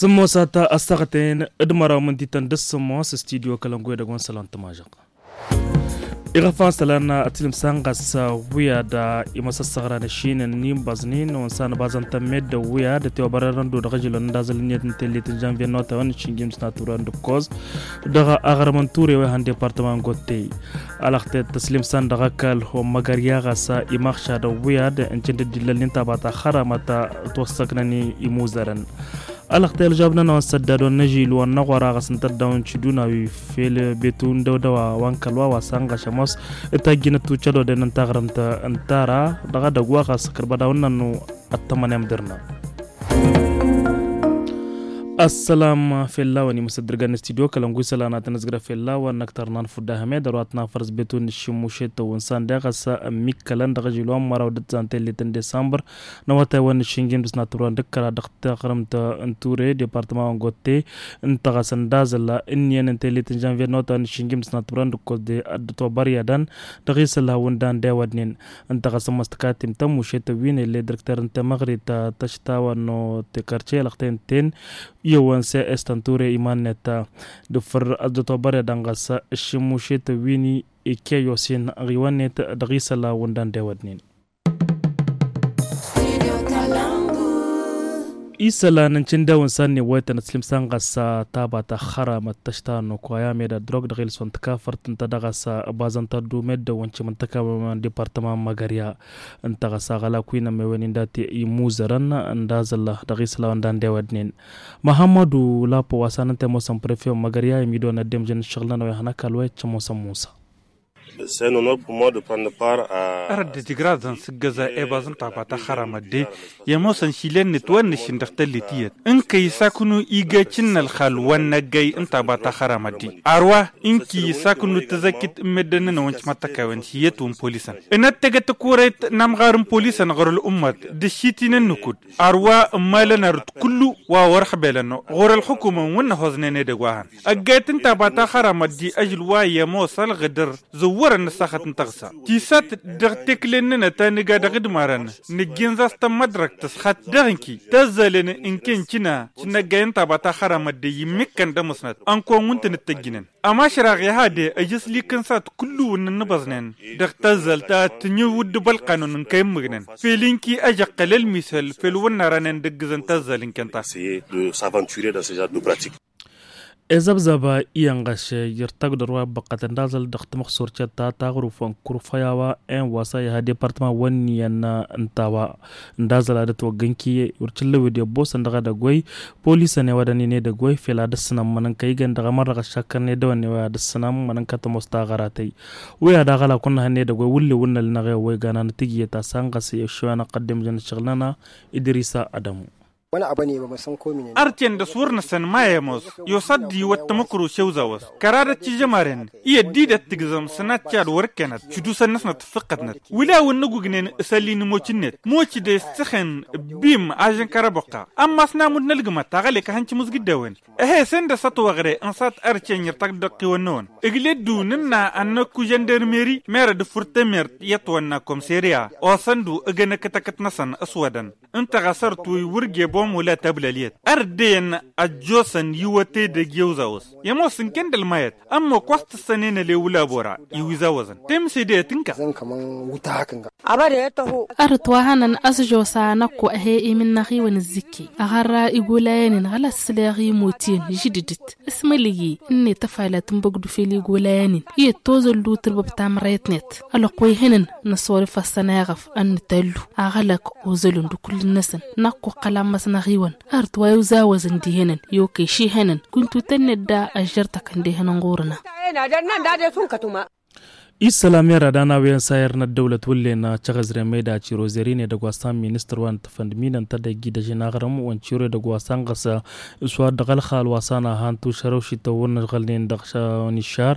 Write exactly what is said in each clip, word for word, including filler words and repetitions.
Tǝmmosat ăssaɣăten d-măraw mǝntităn d-ǝssǝmmos studyo kălăngu edăgg wa n-sălan tǝmažăɣ. Iɣăfan sălan ătlǝmsan ɣas wi ad-imm ăssăɣran ăššinăn n-inbăẓnin wa n-sanăbazăn tămmedăw wi ad-ătiwăbărărăn d-odăɣ ăžilăn d-azăl ǝnniyăt n-tellit n-žănvye n-otawăn n-išǝnjim d-snatturăn d-ǝkkoẓ dăɣ-aɣrǝm n-ture wa ihăn departăman gottey. Alăɣtet tăslǝmsan dăɣ-ăkall wa n-măgărya ɣas imaɣšadăw wi ad-ǝncǝn d-dd-illălnen tabat axăramăt ătwăssăknăn imuzărăn. Alăɣtăy ălžabnăn wa n-săddad wa n-ažil wa n-aɣora ɣas n-tăddaw n-tidunawi fel betu n-dăwdăwa wa n-kălwa wa s-anɣăš ămoos. Tajjinăt tučăloden n-taɣrǝmt n-tara dăɣ-edăgg wa ɣas kărbădawăn-nănnu ăttămănem dăr-nănnu. Ăssălam fell-a-wen imǝsăddǝrgan n-studyo kălăngu isălan ad-tăn-ǝzgǝrăn fell-a-wen n-ăktărnan fudda hămed ărwat n-afăr s-betu n-išimmušet tăwwǝnsan deɣ ăsa ămmikkălăn dăɣ-ažil wa n-măraw d-ǝzzan tellit n-disambăr n-awătay wa n-išǝnjim d-snatǝrwa n-dăkkăra dăɣ-taɣrǝmt n-ture departăma wa n-gotte. Ǝnta ɣas ǝndazăl ǝnniyăn n-tellit n-žănvyer n-awătay wa n-išǝnjim d-snatǝrwa n-dăkkoẓ de ad-dd-tobăr i-ad-an dăɣ-isăl hawǝndan d-ewădnen. Ǝnta ɣas ămmas tǝkatim tămmušet wi n-elle dăr-kter n-temăɣrit tăštawăn n-otekarce lăɣten ten. Iyyăwăn s-estăn ture iman-net. Dăfăr ad-dd-tobăr i-ad-an ɣas ǝššǝmmušet wi n-ikkeyosin ɣiwăn-net dăɣ-isăl hawǝndan d-ewădnen. Isălan n-cindewăn s-ad-newăytăn ăslǝmsan ɣas taba ta xăramăt tăšta n-okoya meda drog dăɣ-ilson tǝkafărt ǝnta dăɣ-ɣas bazăn tăddu meddăwăn cimǝntăkawăn departăman măgărya. Ǝnta ɣas aɣălak wi n-ămmewen inda t-imuzărăn ǝnda zălla dăɣ-isălan ǝnda n-dewădnen. Măhămmădu lapo wa s-anăn temosăn prefe wa n-măgărya imidon ăddemžăn ǝššăɣǝl-nănăwăy hănăkal wa iccăm osăn musa. Ărăt d-ăjǝgrazăn s-ǝggăza ebaẓ n-taba ta xăramăt de i-ămoosăn šile-net wa n-nǝššǝn dăɣ-tăllit iyyăt ǝnkăy isaknu igecǝn n-ălxal wa n-năggăy n-taba ta xăramăt de. Arwa ǝnki isaknu tǝzăkkit n-meddǝn-nănăwăn cimăttăkawăn ši iyyăt wa n-polisăn. Ănăttăgăt ăkure-t n-amɣar n-polisăn ɣur-ăl'ummăt d-ăššitinen n-akud. Arwa ǝmmalăn arǝt kullu wa wăr-ăxbelăn ɣur-ălxukumăn wa n-năhoẓnen edăgg wa hăn. Ăggayăt n-taba ta xăramăt di ažǝl wa i-ămoos ălɣǝdăr zăwwărăn n-ăssaxăt n-tăɣsa tisat. Dăɣ-tekle-nănăt a nǝga dăɣ-idmarăn nǝjjǝnẓ-as tămmăḍrăkt tǝsxăt dăɣ-ǝnki tăzzălăn ǝnken cǝna cǝnnăggay n-taba ta xăramăt de immikkăn d-ămăsnăt ănk wa n-wǝntǝn ǝttăjjǝnăn. Ămašraɣ i-ha de ăj ǝslikăn s-ad-kullu-wǝnnin n-ibăẓnen dăɣ-tăzzălt a tǝnǝwǝdd bălqanun n-kăy-ǝmmǝgnen fel ǝnki ăžăqqăl ălmisăl fel wăr nărănen d-ǝggǝzăn tăzzăl n-kănta. Essayer de s'aventurer dans ce genre de pratique. Ezăbzăb iyyăn ɣaš irtagdăr wa ăbbăqqătăn d-aẓăl dăɣ-tamăxsor cetta taɣruf wa n-kurfăy a-wa en wa s-a iha departăman wa n-iyyăn n-ta-wa. Ǝnda aẓăl ad-ătwăgg ǝnki wăr t-ǝllăwed i-ăbboosăn dăɣ-edăgg wa-i polisăn i-wa dăɣ-nin edăgg wa-i fel ad-ăssǝnăm mănănka igăn dăɣ-emărrăɣ ăššakkărăn edăwănne wa ad-ăssǝnăm mănănka tămoos taɣăratăy. Wi ad-aɣălak wăr nǝhăn edăgg wa-i wǝlle wǝnnăl-năɣ i-wa igan anăt-ǝjǝyet asănɣăs i-ăššăwăn ăqqăddem žăn ǝššăɣǝl-nănăɣ. Idrisa adămu. Ărcen dăɣ-s wăr nǝsăn ma i-ămoos i-osa dd-iwăt tamăkro šewzawăẓ kăradăt tižămaren i-ăddidăt tǝgzăm s-ănatca d-wăr-ǝkkenăt šudusăn-năsnăt ǝffǝqqătnăt. Wǝla wǝnnăgugnen s-ălli n-imocinnet moci de s-tǝxen. Bim ažăn kăraboqqa ămmas n-amud n-ălgǝmăt aɣălek a hăn timǝzgǝddawen. Ehe sănda s-ătwăɣre n-sat ărcen irtăk dăɣ-tiwănnăwăn ǝgleddu nǝnna ănnăkku žăndermeri merăd ǝffǝr temert i-ătwănna komseriya osăndu ǝgg ănăkkăt-ăkkăt-năsăn ăswădăn. Ǝnta ɣas ărăt wa iwǝrge bomo la tăblăl iyyăt ărăt deyyăn ăjjoosăn iwăte dăgg-iwzawăẓ i-ămoos ǝnken d-ălmayăt. Ămmo ăkk wa s-tǝssănen ălewǝl abora iwǝzawăẓăn temsedeyăt ǝnka. Ărăt wa hănăn ăsžosa năkko ehe imǝnnăɣ-iwăn ǝzzǝkke aɣărra igolayen-in ɣăla s-sǝleɣ imot-in žǝdǝdǝt. S-mălǝyye ǝnnet ăfalat n-băgdu fel igolayen-in iyyăt tozăllu tǝrbăb tamrăyăt-net. Ălwăqq wa ihănăn năsorǝf ăssăneɣăf ănnǝtallu aɣălăk ozălăn d-kull-năsăn. Năkk oqqăl ammăs n-aɣiwăn ărăt wa iwzawăẓăn d-ihănăn i-okăy šihănăn kuntutăn-net da ăžžărtăkăn d-ihănăn ɣur-năɣ. Isălan mera d-anawăyăn s-ayăr n-ăddăwlăt wǝllen căɣăzren meda ciro zărin edăgg wa s-an ministăr wa n-tăfăndminăn tădăggi d-ažin aɣrǝm wa n-ciro edăgg wa s-anɣăs s-wa dăɣ-ălxal wa s-an ahan tušărăw šităwwăn ăžɣălnen dăɣ-šonišar.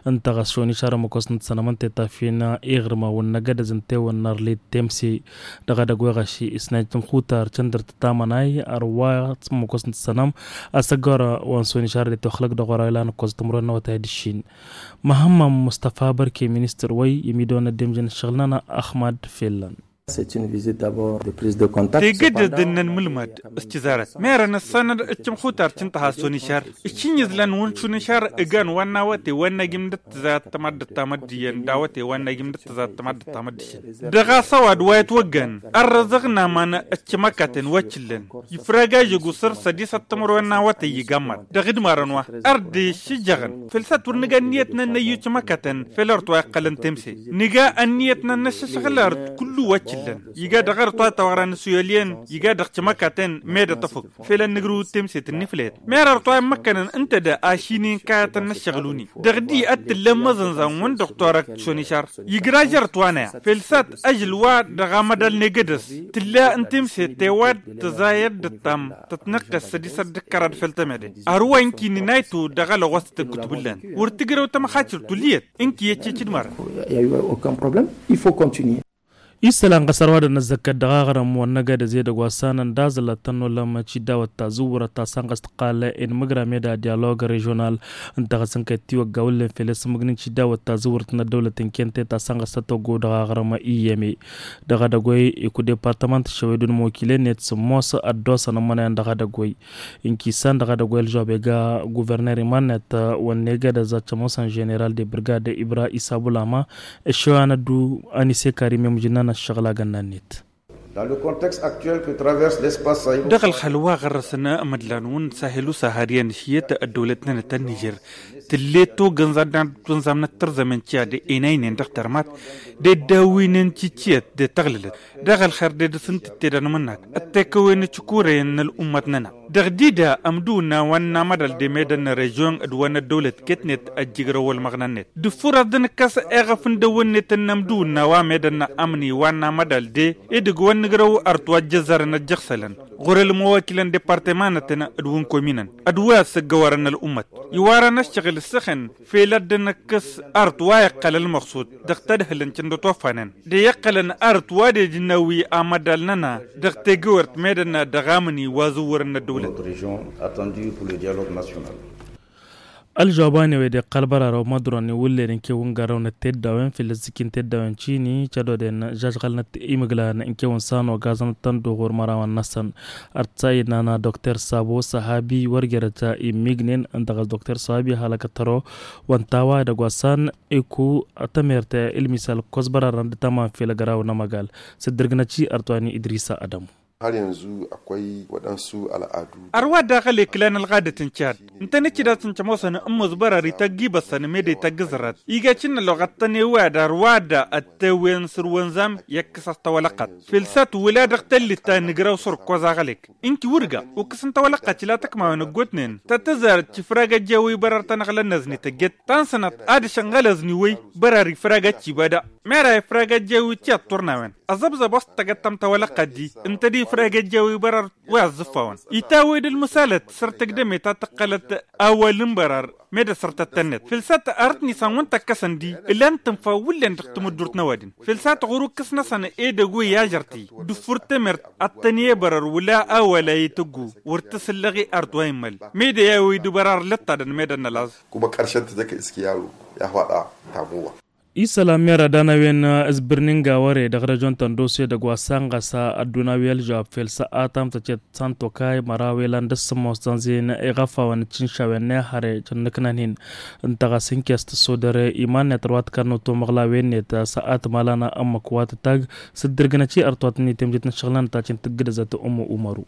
Ǝnta ɣas šonišar ămmăkos n-tăsănăm ǝnta i-tafin iɣrǝm a wǝnnăgădăz ǝnta i-wǝnnărlit temse dăɣ-edăgg wa ɣaš isnaj tǝnxutar căndăr tǝtamănay ărwa ămmăkos n-tăsănăm. Asăggor wa n-šonišar d-itoxlăg dăɣ-ora ilan ǝkkoẓ tǝmrăwăn n-awătay d-ǝššin. Măhămmăn mustăfa bărke ministăr wa-i imidăwăn ăddemžăn ǝššăɣǝl-nănăɣ ăxmad fellăn. Tegădăd ǝnnăn mǝlmad s-cǝzarăt merăn ǝssanăd ǝccǝmxutar cǝnṭăha s-onǝšar. Ǝššǝñǝzlan wăn šunǝšar ǝgan wa n-awăte wa n-agim d-ǝttǝzat tămaddǝt tamăddǝyăn d-awăte wa n-agim d-ǝttǝzat tămaddǝt tamăddǝšăn. Dăɣ-a-s ăwadǝm wa itwăggan ărrăzăɣ n-aman ǝccǝmăkatăn wa t-ǝllăn ifragajăg usăr sădisăt timǝrwen n-awăte iyyăg ammăḍ dăɣ-idmarăn wa. Ar dd-iššǝjjăɣăn făl s-ad-t-wăr nǝga ǝnniyăt n-ad-năyyu cǝmăkatăn făll-ărăt wa iqqălăn temse. Nǝga ǝnniyăt n-ad-năššăšɣǝl ărăt kullu wa t-ǝllăn iga dăɣ-ărăt wa tawăɣra n-asuyăl iyyăn iga dăɣ-cǝmăkatăn. Med ăṭṭăfăk făll-ad-nǝgrǝw d-temse tǝnniflăyăt. Mer ărăt wa immăkkănăn ǝnta da ašin inkayăt ad-năššăɣǝl-uni dăɣ-di ad-t-ǝllăn măzănzan wăn dăɣ-torăkt šonišar. Igraj ărăt wa n-aya făl s-ad-t ažǝl wa dăɣ-amădal n-egădăs tǝlla n-temse tewad tăẓayăt d-ăṭṭam tătnăqqăs sădisăt d-ǝkkărad făll-temede. Ărwa ǝnki n-inaytu dăɣ-alăɣos tăggutbǝllan wăr tǝgrăw tamăxacǝrt ulǝyăt. Ǝnki i-ăccăcǝd mărăn. Isălan ɣas ărwadăn ăzzăkkăt dăɣ-aɣrǝm wăr năgădăz edăgg wa s-anăn d-aẓǝlăt tănnolăm ăciddawăt ta zǝwwărăt ta sănɣăs tǝqqal inmǝgra meda dialog režional. Ǝnta ɣas ǝnkăyăt tiwăgga wǝllen fel i-sǝmmǝgnin ciddawăt ta zǝwwărăt n-ăddăwlăt n-kente ta sănɣăs tătoggo dăɣ-aɣrǝm iyyăme. Dăɣ-edăgg wa-i iku departămant šăwedun mokile-net sǝmmos ăddoosăn ămmănăyăn dăɣ-edăgg wa-i. Inkisan dăɣ-edăgg wa i-ălžob ega guverner iman-net wăr negădăz ad-t-ămoosăn ženeral de brigad ibra isabulama. Ăššăwăn ăddu anise karim i-mǝjǝnnan ăššăɣǝl agănna-net. Dăɣ-ălxăl wa ɣărrăsăn amădlan wăn sahelu sahariyan ăššiyăt ăddăwlăt-nănăt ta n-nižer tǝllet togănza d-ad-wănzamnăt tărzămen tiya d-enaynen dăɣ-tărmat d-dd-awǝynen tityăt d-tăɣlǝlăt. Dăɣ-ălxer d-edăs n-tǝtte d-anmǝnnak ăttekăwen ăcǝkurăyăn n-ăl'ummăt-nănăɣ. Dăɣ-dida ămdǝwǝnna wa n-amădal d-emedăn n-režion d-wa n-ăddăwlăt ket-net ăjjǝgrăw ălmăɣna-net dăɣ-făr ad-dd-nǝkkăs eɣăf n-dăwwăn-net n-ămdǝwǝnna wa medăn n-amni wa n-amădal de edăgg wa n-nǝgrăw ărăt wa ăjjăzzărăn ăjjăɣsălăn ɣur-ălmăwakilăn departămanătăn d-wǝnkominăn d-wa ăssăggăwărăn ăl'ummăt. Iwarăn ăššăɣǝl ǝssăxăn fel ad-dd-nǝkkăs ărăt wa iqqăl ălmăɣsud dăɣ-tadhǝlăn cǝndăt wa ăffanăn d-iqqălăn ărăt wa d-ejǝnnawi amădal-nănăɣ dăɣ-tegăwert medăn dăɣ-amni wa zǝwwărăn n-ăddăwlăt. Ălžăwab wa n-ewe d-iqqăl bărarăw măḍrăwăn iwǝllen ǝnkew n-gărrăw n-ătteddawen făll-ăzzǝki n-teddawen cini cădoden žažɣălnăt imǝglan ǝnkew n-sano gazănăt tănduɣur mărawăn-năsăn. Ărtǝsa innăna dokter sabo săhabi wăr jerăt immignen ǝnta ɣas dokter săhabi halăkăt tăro. Wa n-tawa edăgg wa s-an iku tămert ilmisal ǝkkoẓ bărarăn d-tăman fel ăgraw n-amăgal. S-dd-ǝrgǝnăt i-ărtwani idrisa ădămu. Ărwa daɣ ăleklan ălɣadăt n-cad ǝntăneḍ-t-dd ad-tăn-cămoosăn ǝmmos bărăr itagg ibăssăn mede itagg ǝẓrăt iga cǝnnăloɣ ad-tăn-ewăyad ărwa da ăttewwen s-ǝrwănzam i-ăkkăs-as tawălăqqat. Fel s-ad-t-wǝla dăɣ-tăllit ta n-igraw s-ărkoẓ aɣălek ǝnki wăr ga okǝs n-tawălăqqat ila tăkmawen ăggootnen tăt-ăzarăt cifragăt jawǝy bărăr ta n-aɣlăn-năzn ităjjăt ta n-sănăt ad-išănɣăl ăzniwăy. Bărăr ifragăt cibada mera ifragăt jawǝy ti ăṭṭurnawen ăẓăbẓăb wa s-tăgăt tamtawălăqqat di ǝnta d-ifragăt jawǝy bărăr. Wa ăẓẓǝfawăn itawăy d-ălmăsalăt săr tăgdăme ta tǝqqălăt awal n-bărăr. Mede săr tăt-tănnăt fel s-ad-t-arăt nisan wăn tăkkăsăn di ǝlan tǝnfa wǝllen dăɣ-tamǝddurt n-ăwadǝm fel s-ad-t-ɣur-ukǝs-năsăn edăgg wa i-ažărti dăɣ-făr temert ad-tăn-e-bărăr wăla awal a itǝggu wăr tǝsǝllăɣ i-art wa immăl. Mede i-awăy d-bărăr lăttadăn medăn n-ălaẓ. Kuma kăršăn tǝjăk iskiyaro i-ahwaḍa tamuwa. Isălan mera d-anăwen s-bǝrni n-gawăre dăɣ-režion tăndose dăgg-wa s-anɣăs ădduna wi ălžăwab fel s-atam tăcet santokay măraw ilan d-sǝmmos tănzin iɣăfawăn d-tinšawen n-ehăre cănnăknan-hin. Ǝnta ɣas ǝnkes tǝssodăre iman-net ărwa tǝkannăw tomăɣlawen-net s-atmalan ămmăk wa tǝtag s-dd-ǝrgǝnăt i-ărtwatăn i-temjet n-ǝššăɣǝl-nănăt ta cǝntǝggǝdăzăt ǝmmu umaru.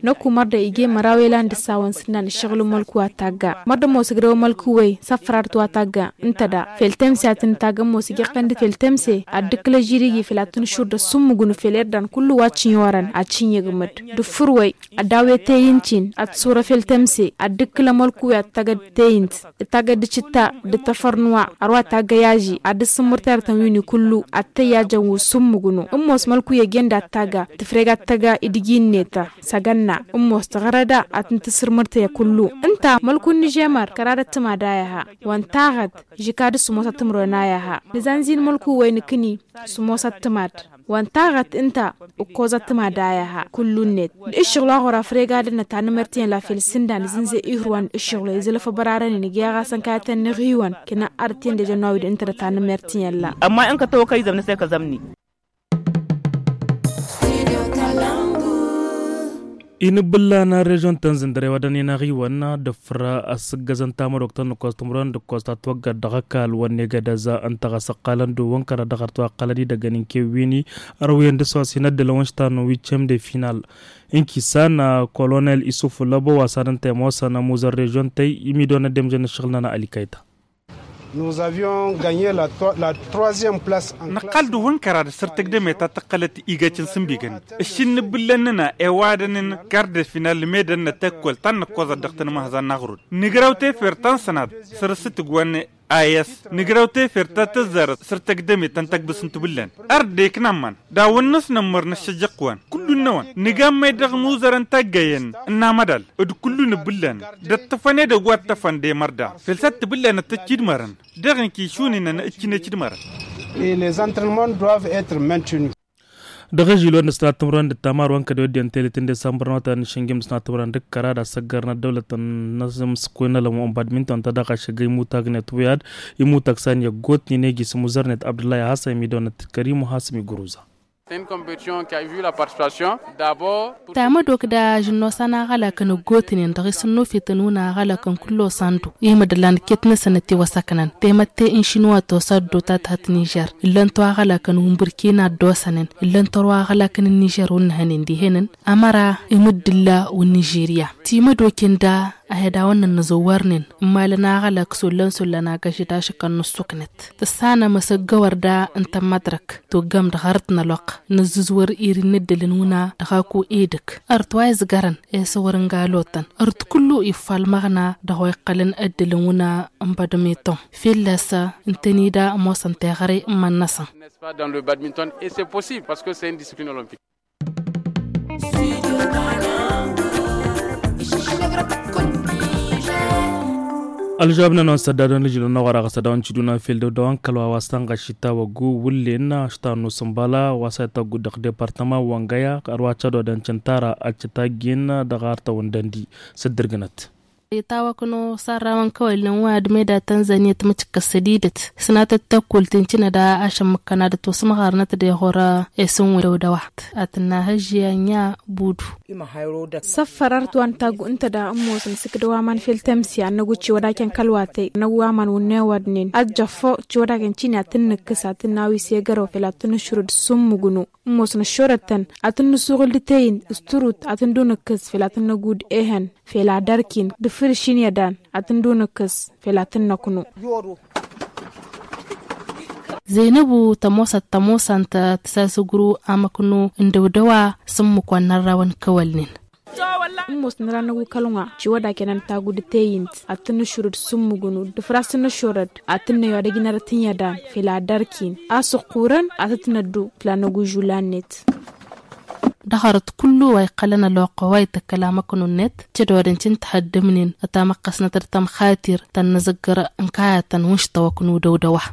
Năkku mărda ige măraw elan d-ǝssawăn s-ǝnnan ǝššăɣǝl n-mălku attagga mărda ămoos ǝgrăw mălku-wăy s-afrarăt wa tagga. Ǝnta da fel temse ad-tăn-ǝtagg ămoos ija iqqăn d-fel temse ad-dd-ǝkkǝl ăžžirigi fel ad-tăn-ǝššur d-ăssummǝgǝnu fel irdan kullu wa t-inyăwărăn ad-t-inyăgmăd. D-ǝffǝr-wăy ad-daw-e teyǝnt-in ad-t-sura fel temse ad-dd-ǝkkǝl ămălku-wăy ad-t-tagăd teyǝnt d-tagăd d-cǝtta d-tăfărnǝwa. Ărwa taggăy aži ad-dd-sǝmmǝrtăyărtăn wi-ni kullu ad-tăyyajăn wi ǝssummǝgǝnu ǝmmos mălku-i ăjen d-ad-tagga tǝfreg ad-tăga idǝj-i-net. S-agănna ǝmmos tăɣrăda ad-tăn-tǝssǝrmǝrtăyăt kullu. Ǝnta mălku n-ižemăr kăradăt tǝmad a iha wa n-taɣăt žikad s-sǝmmosăt timǝrwen a iha. Nǝzanzi n-mălku-wăy nǝkǝni sǝmmosăt tǝmad wa n-taɣăt ǝnta ǝkkoẓăt tǝmad a iha kullu-net. D-ǝššăɣǝl wa ɣur-afreg ad-ănnăt tanǝmert iyyăn la fel s-ǝnda nǝzǝnze ihǝrwan d-ǝššăɣǝl wa izǝlăf ăbrarăn-in ǝgg i-aɣasăn kayăt ănniɣ iwăn kănăn arăt iyyăn d-ejănn wa wi d-ǝntădăt tanǝmert iyyăn la. Ămma n-kătawăkăy zămnă s-e kăzămni. Inǝbbǝllan režion tăn-zǝndăr i-wa dăɣ-ninaɣ-iwăn d-afǝr asǝggăzăn tamădok tăn-nǝkkoẓ timǝrwen d-ǝkkoẓ ta ătwăggăd dăɣ-ăkall wănnegăd ăza ǝnta ɣas ǝqqalăn d-uwwăn kăra dăɣ-arăt wa ǝqqălăn idăggăn n-kewwini. Ărwǝyăn dăɣ-s wa s-hin-ăddălăn wa n-ištan n-wicem de final n-kisan. Kolonel isuf lăbo wa s-ad-ǝnta i-ămoosăn ămuzăn režion tăy imidon ăddemžăn n-ǝššăɣǝl-nănăɣ ălikăy ta. Nǝqqal d-uwwăn kăra d-săr tăgdăme ta tăqqălăt igăcăn s-ǝmbigăn ǝššǝnnǝbbǝllăn-nănăɣ i-ăwadăn n-kar de final medăn n-tăkkolt ta n-năkkoẓăt dăɣ-tăn-măhăẓan n-aɣrud. Nǝgrăw tefert ta n-sănat săr-s tǝgwăn. Ayăs nǝgrăw tefert ta tăzzarăt săr tăgdăme ta n-tăgbǝs n-tibǝllan. Ărdek n-amman d-awăn-năsnămmăr n-ăššăjjăq wa n-kullu-năwăn nǝgammăy dăɣ-imuzărăn taggăyăn n-amădal d-kullu nǝbbǝllan d-ăṭṭăfăn edăgg wa ǝṭṭăfăn d-emărda fel s-ad-tibǝllan ad-t-ăccidmărăn dăɣ-inki šuninăn ǝccǝne cidmărăn. Dăɣ-ažil wa n-ăsnat timǝrwen d-ăttamar wa n-kădewădden telet n-desambăr n-awătay n-išǝnjǝm d-ăsnat timǝrwen d-ǝkkăra d-asăggărnăt dăwlăt n-asǝmmǝskuyăn ălămmu n-badminton ta dăɣ-ašăgg imutagnet wi ad-imutag s-an i-ăggootnen egi s-imuzărnet abdullah i-hasan imidăwănăt d-kărim u-hasǝm igruza. Tamădok d-ažǝnnos a n-aɣălakăn ăggootnen dăɣ-isǝnnufităn wǝn aɣălakăn kullu osandu i-imǝdăllan ket-năsăn ătiwăsăknăn temătte n-išinwa tosa ăddotat hat nižer. Ǝllăn-t wa aɣălakăn wǝnbǝrkina ăddosănen ǝllăn-t ărwa aɣălakăn n-nižer wǝnnăhănen dihenăn. Ămăra imǝddǝlla wǝnnižirya timădoken da a hi-dawăn-nănnăzăwwărnen ǝmmalăn aɣălak sollăn-sollăn agăžăd ašăk ănnăssuknăt tǝssanăm asăggăwăr da ǝnta n-mădrăk. Toggăm dăɣ-arăt n-ălwăqq nǝzzǝzwăr iri n-ǝddǝlăn wǝna dăɣ-aku edăgg ărăt wa izgărăn i-săwăr n-galotăn ărăt kullu iffalmăɣna dăɣ-wa iqqălăn ǝddǝlăn wǝna n-badminton fălla-s ǝntănida ămoosăn teɣăre n-iman-năsăn. Ălžăwab-nănăɣ n-sădda dăɣ-nǝžǝl n-ăɣora ɣas ad-dăɣ-nǝšǝddu n-afel dăw-dăw n-kăl-wa wa s-tănɣăšit tawăggu wǝllen ăštanu s-ǝnbala wa s-ad-tăggu dăɣ-departăma wăngăya ărwa cădodăn cǝntara ăccătaggen dăɣ-artăwăn dăndi s-dd-ǝrgǝnăt. Itawăknu sarrawăn kăwălnen wa d-meda tănzăniyăt mǝcǝkkăs sădidăt sănatăt tăkkultin cǝnăda ašămmǝkkăn ad-ătwăsmăɣărnăt d-eɣoră esǝnwen dăw-dăwa. Ad-tǝnna hăžži anya budu. Săffărărt wa n-taggu ǝnta da ămoosăn s-ǝkdăw aman fel tămsi ad-năggu ciwădakăn kălwatăy năggu aman wǝnnewădnen ad-jăffăw ciwădakăn cini ad-tǝnnǝkkǝs ad-tǝnna wi s-egărăw fel ad-tǝnnǝšrǝd s-ǝmmǝgnu. Ămoosăn ăššorăt-tăn ad-tǝnnǝsuɣǝl d-teyǝn s-tǝrut ad-tǝndunǝkkǝs fel ad-tǝnnăgud ehăn fel ad-ărkin d-fǝrǝšin i-ădan ad-tǝndunǝkkǝs fel ad-tǝnnăknu. Zăynăbu tămoosăt tămoosant tǝsasǝgru amăknu n-dăwdăwa s-ǝmmǝk wa n-arrawăn kăwălnen. Ămoosăn ra n-ăgg-ukălăn wa ciwădakăn ăntagud d-teyǝnt ad-tǝnnǝšurǝd s-ǝmmǝgnu d-ǝfras n-ăššorăd ad-tǝnnăywa d-ăjnărăt n-i-ădan fel ad-ărkin a-s ǝqqurăn ad-tǝtnăddu tǝla n-ăgg-užul annet. Dăɣ-arăt kullu wa iqqălăn ălwăqq wa itǝkkăl amăknu-net cădodăn cǝntăhăddǝmnen ătamăqqăsnăt d-tamxatir tănnăzăggăr n-kayătăn wǝnš tawăknu dăw-dăwa.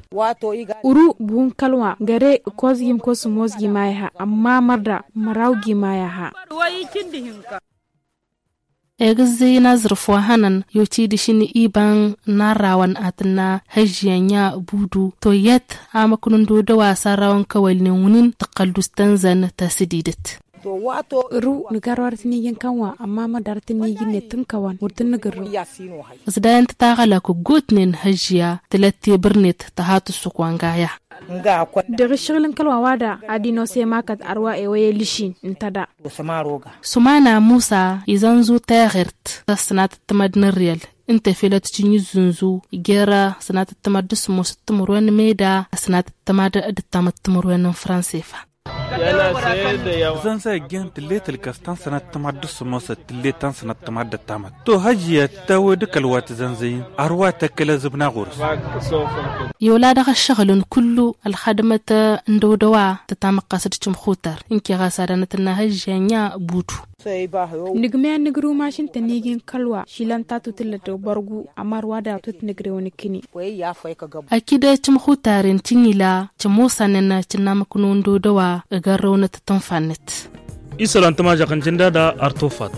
Uru buhun kălwa găre ǝkkozgim kosǝmmozgim a iha ămma mărda mărawgim a iha. Egǝzzăy n-aẓrǝf wa hănăn i-ocidǝšin iba n-arrawăn ad-tǝnna hăžžiyăn i-abudu toyyăt amăknu n-dodăwa s-arrawăn kăwălnen wǝnin tǝqqăl d-us tănzăn tasǝdidăt. Ru nǝgarrăw arăt n-iji n-kănwa ămma mădar tǝnniji-net n-kăwăn wăr tǝnnǝgǝrrǝw. Ăsdayăn-tăt aɣălak ǝggutnen hăžžǝya tǝlăt tebărnet tăhat ǝssǝk wa n-gaya. Dăɣ-ǝššăɣǝl n-kăl-wa-wa-da ad-inos i-makăt ărwa ewăy elǝšin ǝnta da. Sumana musa izănzu teɣert ta s-sănatăt tămad n-ărriyăl ǝnta i-fel ad-t-tǝnjǝzzǝnzu jer-sănatăt tămad d-sămoosăt timǝrwen meda sănatăt tămad d-ǝttamăt timǝrwen n-fransefa. Zănzăy ăgg-en tǝllet ǝlkăs ta n-sănat tămad d-sămoosăt tǝllet ta n-sănat tămad d-ăttamăt. To hăžžiyăt tawed kăl-wa tǝzănzăyăn ărwa tăkkăl azǝbna ɣur-s. Iwla dăɣ-ăššăɣǝlăn kullu ălxadmăt n-dăwdăwa tătamăqqas d-cǝmxutar ǝnke ɣas ad-anăt-ănna hăžžiyăn i-abudu. Nǝgmăy ad-nǝgrǝw mašin-tăn iji n-kăl-wa šilăn ta tutǝllăt dăɣ-bărgu ămar wa dăɣ-tut nǝgrǝw nǝkkǝni. Akǝy d-cǝmxutaren cǝnila cămoosănen cǝnnamăknu n-dodăwa ăgărrăwnăt tǝnfa-net. Isălan tămažăɣt n-cǝndada ar tofat.